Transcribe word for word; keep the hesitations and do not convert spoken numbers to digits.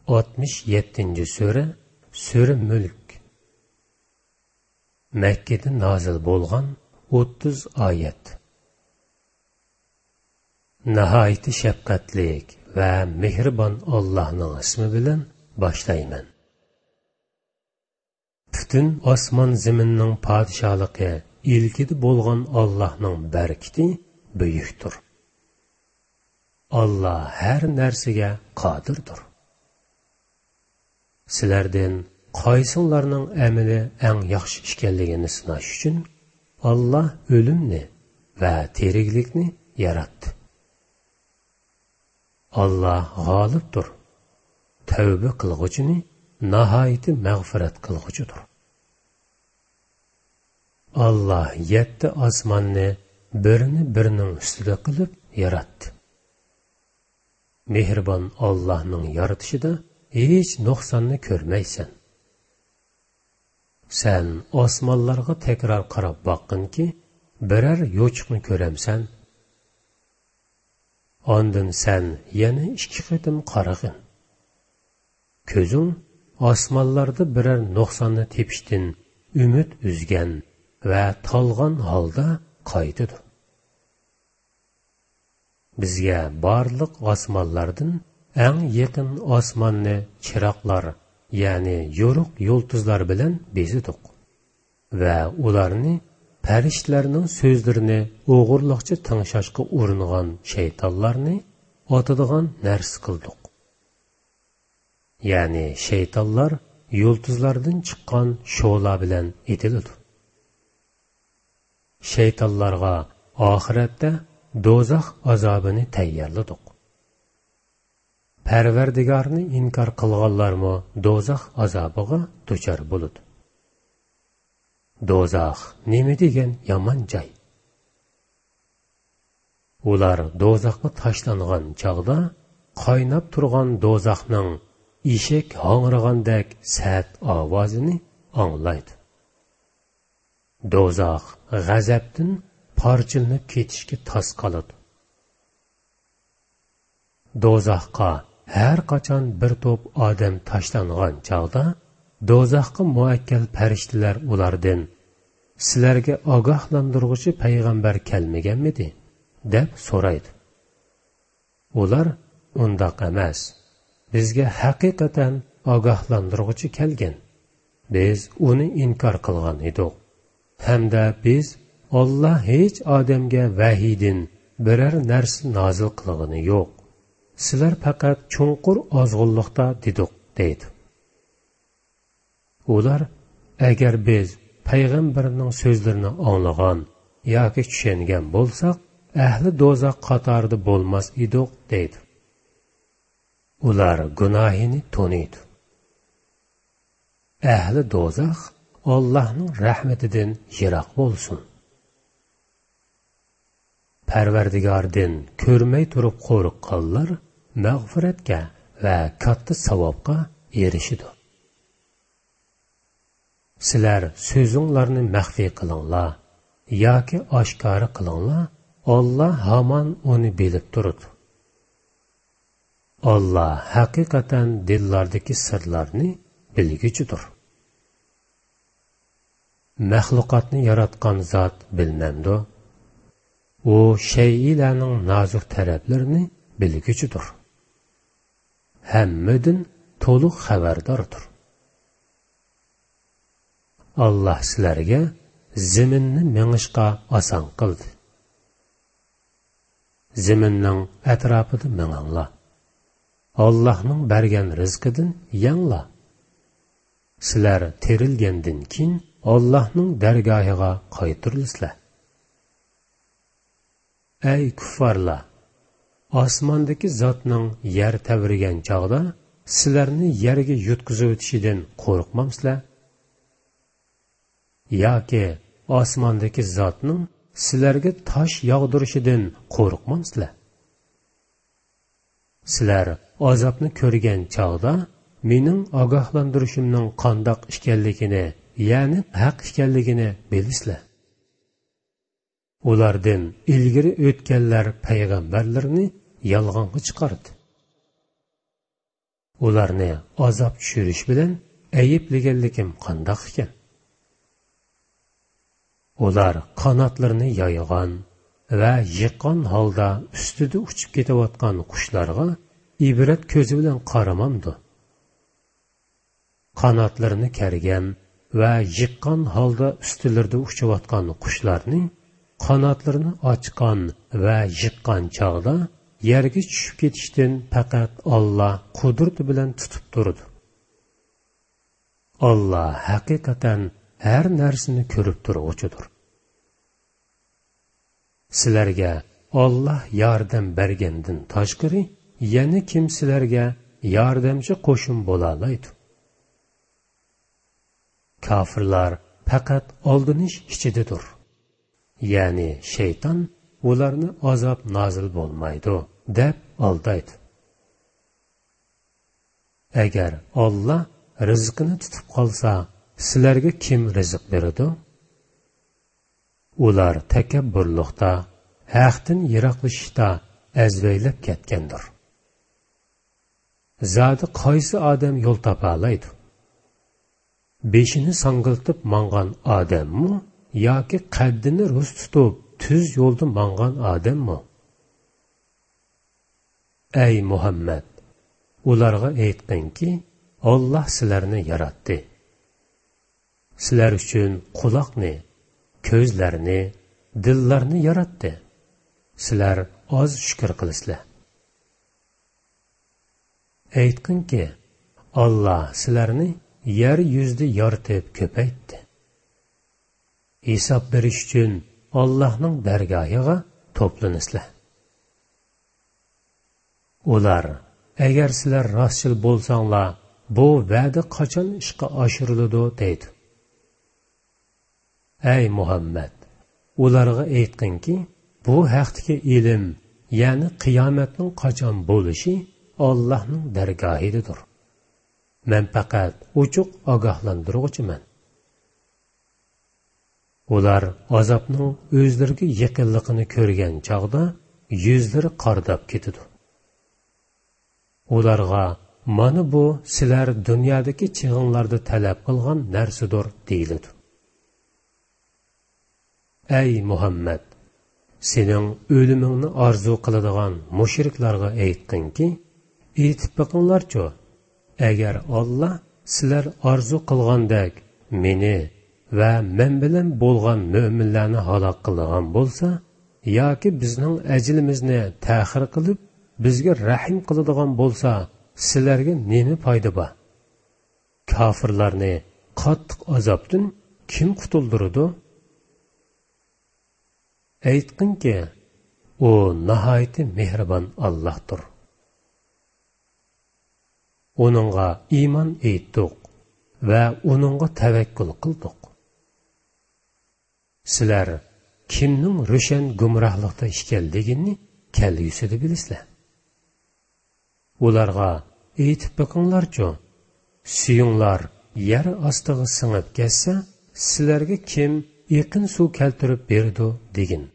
ئاتمىش يەتتىنچى سۈرە، سۈرە مۈلك. مەككىدە نازىل بولغان، ئوتتۇز ئايەت. ناھايىتى شەپقەتلىك ۋە مېھرىبان ئاللاھنىڭ ئىسمى بىلەن باشلايمەن. پۈتۈن ئاسمان زېمىننىڭ پادىشاھلىقى ئىلكىدە بولغان ئاللاھنىڭ بەرىكىتى بۈيۈكتۇر. ئاللا ھەر نەرسىگە قادىردۇر. سىلەردىن قايسىڭلارنىڭ ئەمىلى ئەڭ ياخشى ئىكەنلىكىنى سىناش ئۈچۈن، ئاللا ئۆلۈمنى ۋە تىرىكلىكنى ياراتتى. ئاللا غالىبتۇر، تەۋبە قىلغۇچىنى ناھايىتى مەغپىرەت قىلغۇچىدۇر. ئاللا يەتتە ئاسماننى بىرىنى بىرىنىڭ ئۈستىدە قىلىپ ياراتتى. مېھرىبان ئاللاھنىڭ يارىتىشىدا ھېچ نۇقساننى كۆرمەيسەن. سەن ئاسمانلارغا تەكرار قاراپ باققىنكى، بىرەر يوچۇقنى كۆرەمسەن؟ ئاندىن سەن يەنە ئىككى قېتىم قارىغىن. كۆزۈڭ ئاسمانلاردا بىرەر نۇقساننى تېپىشتىن ئۈمىد ئۈزگەن ۋە تالغان ھالدا قايتىدۇ. بىزگە بارلىق ئاسمانلاردىن ئەڭ يېقىن ئاسماننى چىراغلار، يەنى يورۇق يۇلتۇزلار بىلەن بېزىدۇق ۋە ئۇلارنى پەرىشتىلەرنىڭ سۆزلىرىنى ئوغرىلىقچە تىڭشاشقا ئۇرۇنغان شەيتانلارنى ئاتىدىغان نەرسە قىلدۇق. يەنى شەيتانلار يۇلتۇزلاردىن چىققان شولا بىلەن ئېتىلىدۇ. شەيتانلارغا ئاخىرەتتە دوزاخ ئازابىنى تەييارلىدۇق. پەرۋەردىگارنى ئىنكار قىلغانلارمۇ دوزاخ ئازابىغا دۇچار بولىدۇ. دوزاخ نېمە دېگەن يامان جاي! ئۇلار دوزاخقا تاشلانغان چاغدا، قايناپ تۇرغان دوزاخنىڭ ئېشەك ھاڭرىغاندەك سەت ئاۋازىنى ئاڭلايدۇ. دوزاخ غەزەپتىن پارچىلىنىپ كېتىشكە تاس قالىدۇ. دوزاخقا ھەر قاچان بىر توپ ئادەم تاشلانغان چاغدا، دوزاخقا مۇئەككەل پەرىشتىلەر ئۇلاردىن، «سىلەرگە ئاگاھلاندۇرغۇچى پەيغەمبەر كەلمىگەنمىدى؟» دەپ سورايدۇ. ئۇلار، «ئۇنداق ئەمەس، بىزگە ھەقىقەتەن ئاگاھلاندۇرغۇچى كەلگەن. بىز ئۇنى ئىنكار قىلغان ئىدۇق. ھەمدە بىز، ئاللا ھېچ ئادەمگە ۋەھىيدىن بىرەر نەرسە نازىل قىلغىنى يوق. سىلەر پەقەت چوڭقۇر ئازغۇنلۇقتا دېدۇق» دەيدۇ. ئۇلار، «ئەگەر بىز پەيغەمبەرنىڭ سۆزلىرىنى ئاڭلىغان ياكى چۈشەنگەن بولساق، ئەھلى دوزاخ قاتارىدا بولماس ئىدۇق» دەيدۇ. ئۇلار گۇناھىنى تونۇيدۇ. ئەھلى دوزاخ ئاللاھنىڭ رەھمىتىدىن يىراق بولسۇن. پەرۋەردىگاردىن كۆرمەي تۇرۇپ قورققانلار مەغپىرەتكە ۋە كاتتا ساۋابقا ئېرىشىدۇ. سىلەر سۆزۈڭلارنى مەخپىي قىلىڭلار ياكى ئاشكارا قىلىڭلار، ئاللا ھامان ئۇنى بىلىپ تۇرىدۇ. ئاللا ھەقىقەتەن دىللاردىكى سىرلارنى بىلگۈچىدۇر. مەخلۇقاتنى ياراتقان زات بىلمەمدۇ؟ ئۇ شەيئىلەرنىڭ نازۇك تەرەپلىرىنى بىلگۈچىدۇر. ھەممىدىن تولۇق خەۋەرداردۇر. ئاللا سىلەرگە زېمىننى مېڭىشقا ئاسان قىلدى. زېمىننىڭ ئەتراپىدا مېڭىڭلار. ئاللاھنىڭ بەرگەن رىزقىدىن يەڭلار. سىلەر تىرىلگەندىن كېيىن ئاللاھنىڭ دەرگاھىغا قايتۇرۇلىسىلەر. ئەي كۇففارلار! ئاسماندىكى زاتنىڭ يەر تەۋرىگەن چاغدا سىلەرنى يەرگە يۇتقۇزۇۋېتىشىدىن قورقمامسىلەر؟ ياكى ئاسماندىكى زاتنىڭ سىلەرگە تاش ياغدۇرۇشىدىن قورقمامسىلەر؟ سىلەر ئازابنى كۆرگەن چاغدا مېنىڭ ئاگاھلاندۇرۇشۇمنىڭ قانداق ئىكەنلىكىنى، يەنى ھەق ئىكەنلىكىنى بىلىسىلەر. ئۇلاردىن ئىلگىرى ئۆتكەنلەر پەيغەمبەرلىرىنى يالغانغا چىقاردى. ئۇلارنى ئازاب چۈشۈرۈش بىلەن ئەيىبلىگەنلىكىم قانداق ئىكەن؟ ئۇلار قاناتلىرىنى يايغان ۋە يىغقان ھالدا ئۈستىدە ئۇچۇپ كېتىۋاتقان قۇشلارغا ئىبرەت كۆزى بىلەن قارىمامدۇ؟ قاناتلىرىنى كەرگەن ۋە يىغقان ھالدا ئۈستىلىرىدە ئۇچۇۋاتقان قۇشلارنى قاناتلىرىنى ئاچقان ۋە يىغقان چاغدا يەرگە چۈشۈپ كېتىشتىن پەقەت ئاللا قۇدرىتى بىلەن تۇتۇپ تۇرىدۇ. ئاللا ھەقىقەتەن ھەر نەرسىنى كۆرۈپ تۇرغۇچىدۇر. سىلەرگە ئاللا ياردەم بەرگەندىن تاشقىرى يەنە كىم سىلەرگە ياردەمچى قوشۇن بولالايدۇ؟ كاپىرلار پەقەت ئالدىنىش ئىچىدىدۇر. يەنى شەيتان ئۇلارنى ئازاب نازىل بولمايدۇ دەپ ئالدايدۇ. ئەگەر ئاللا رىزقىنى تۇتۇپ قالسا، سىلەرگە كىم رىزىق بېرىدۇ؟ ئۇلار تەكەببۇرلۇقتا، ھەقتىن يىراقلىشىشتا ئەزۋەيلەپ كەتكەندۇر. زادى قايسى ئادەم يول تاپالايدۇ؟ بېشىنى ساڭگىلتىپ ماڭغان ئادەممۇ ياكى قەددىنى رۇس تۇتۇپ تۈز يولدا ماڭغان ئادەممۇ؟ ئەي مۇھەممەد، ئۇلارغا ئېيتقىنكى، ئاللا سىلەرنى ياراتتى. سىلەر ئۈچۈن قۇلاقنى، كۆزلەرنى، دىللارنى ياراتتى. سىلەر ئاز شۈكۈر قىلىسىلەر. ئېيتقىنكى، ئاللا سىلەرنى يەر يۈزىدە يارىتىپ كۆپەيتتى. ھېساب بېرىش ئۈچۈن ئاللاھنىڭ دەرگاھىغا توپلىنىسىلەر. ئۇلار، ئەگەر سىلەر راستچىل بولساڭلار، بۇ ۋەدە قاچان ئىشقا ئاشۇرۇلىدۇ؟ دەيدۇ. ئەي مۇھەممەد، ئۇلارغا ئېيتقىنكى، بۇ ھەقتىكى ئىلىم، يەنى قىيامەتنىڭ قاچان بولۇشى ئاللاھنىڭ دەرگاھىدىدۇر. مەن پەقەت ئوچۇق ئاگاھلاندۇرغۇچىمەن. ئۇلار ئازابنىڭ ئۆزلىرىگە يېقىنلىقىنى كۆرگەن چاغدا يۈزلىرى قارىداپ كېتىدۇ. ئۇلارغا، مانا بۇ سىلەر دۇنيادىكى چېغىڭلاردا تەلەپ قىلغان نەرسىدۇر، دېيىلىدۇ. ئەي مۇھەممەد، سېنىڭ ئۆلۈمۈڭنى ئارزۇ قىلىدىغان مۇشرىكلارغا ئېيتقىنكى، ئېيتىپ بېقىڭلارچۇ، ئەگەر ئاللا سىلەر ئارزۇ قىلغاندەك مېنى ۋە مەن بىلەن بولغان مۆمىنلەرنى ھالاك قىلىدىغان بولسا ياكى بىزنىڭ ئەجىلىمىزنى تەخىر قىلىپ، بىزگە رەھىم قىلىدىغان بولسا، سىلەرگە نېمە پايدا بار؟ كاپىرلارنى قاتتىق ئازابتىن كىم قۇتۇلدۇرىدۇ؟ ئېيتقىنكى، ئۇ ناھايىتى مېھرىبان ئاللاھتۇر. ئۇنىڭغا ئىمان ئېيتتۇق ۋە ئۇنىڭغا تەۋەككۈل قىلدۇق. سىلەر كىمنىڭ روشەن گۇمراھلىقتا ئىكەنلىكىنى كەلگۈسىدە بىلىسىلەر. ئۇلارغا ئېيتىپ بېقىڭلارچۇ، سۈيۈڭلار يەر ئاستىغا سىڭىپ كەتسە، سىلەرگە كىم ئېقىن سۇ كەلتۈرۈپ بېرىدۇ دېگىن.